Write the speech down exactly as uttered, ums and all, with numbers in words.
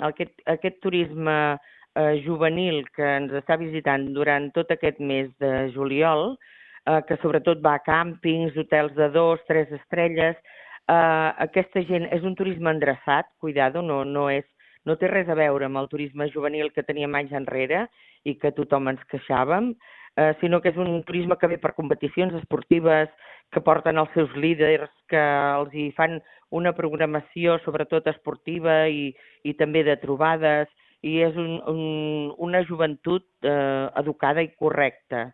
aquest, aquest turisme eh, juvenil que ens està visitant durant tot aquest mes de juliol, eh, que sobretot va a càmpings, hotels de dos, tres estrelles, eh, aquesta gent és un turisme endreçat, cuidado, no, no, és, no té res a veure amb el turisme juvenil que teníem anys enrere i que tothom ens queixàvem, eh, sinó que és un turisme que ve per competicions esportives, que porten els seus líders, que els hi fan una programació sobretot esportiva i, i també de trobades, i és un, un, una joventut eh, educada i correcta.